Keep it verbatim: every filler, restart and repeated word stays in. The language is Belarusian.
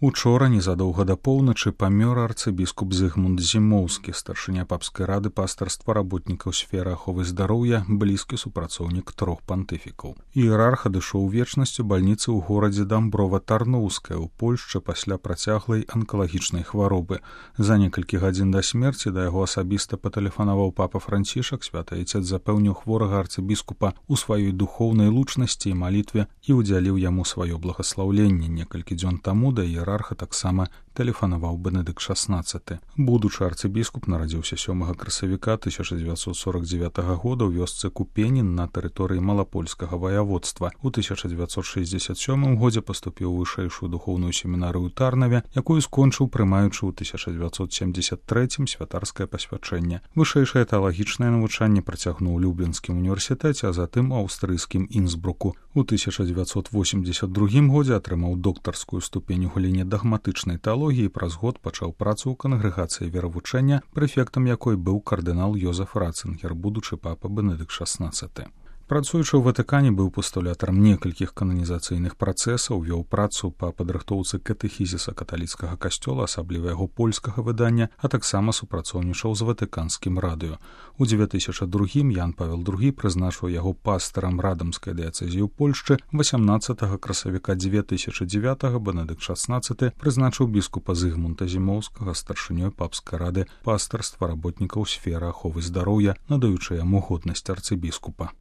Учора, незадоўга да поўначы, памёр арцыбіскуп Зыгмунд Зімоўскі, старшыня папскай рады пастырства работнікаў сферы аховы здароўя, блізкі супрацоўнік трох пантыфікаў. Іерарх адышоў у вечнасць у бальніцы ў горадзе Дамброва-Тарноўская ў Польшчы пасля працяглай анкалагічнай хваробы. За некалькі гадзін да смерці да яго асабіста патэлефанаваў папа Францішак. Святы айцец запэўніў хворага арцыбіскупа ў сваёй духоўнай лучнасці і малітве і ўдзяліў яму сваё благаслаўленне. Некалькі дзён таму да іерарха таксама тэлефанаваў Бенедыкт шаснаццаты. Будучы арцыбіскуп нарадзіўся сёмага красавіка тысяча дзевяцьсот сорок дзевятага года ў вёсцы Купенін на тэрыторыі Малапольскага ваяводства. У тысяча дзевяцьсот шэсцьдзесят сёмым годзе паступіў у вышэйшую духоўную семінарыю ў Тарнаве, якую скончыў, прымаючы ў тысяча дзевяцьсот семдзесят трэцім святарскае пасвячэнне. Вышэйшае тэалагічнае навучанне працягнуў у Люблінскім універсітэце, а затым у аўстрыйскім Інсбруку. У тысяча дзевяцьсот восемьдесят другім годзе атрымаў доктарскую ступень у галіне дагматычнай тэалогіі і праз год пачаў працу ў кангрэгацыі веравучэння, прэфектам якой быў кардынал Йозеф Ратцынгер, будучы папа Бенедыкт шаснаццаты. Працуючы ў Ватыкане, быў пастулятарам некалькіх кананізацыйных працэсаў, вёў працу па падрыхтоўцы катэхізіса каталіцкага касцёла, асабліва яго польскага выдання, а таксама супрацоўнічаў з ватыканскім радыё. У дзве тысячы другім Ян Павел другі прызначыў яго пастарам радамскай дыяцэзіі ў Польшчы. васямнаццатага красавіка дзве тысячы дзевятага Бенедыкт шаснаццаты прызначыў біскупа Зыгмунта Зімоўскага старшынёй папскай рады пастырства работнікаў сферы аховы здароўя, надаючы яму годнасць арцыбіскупа.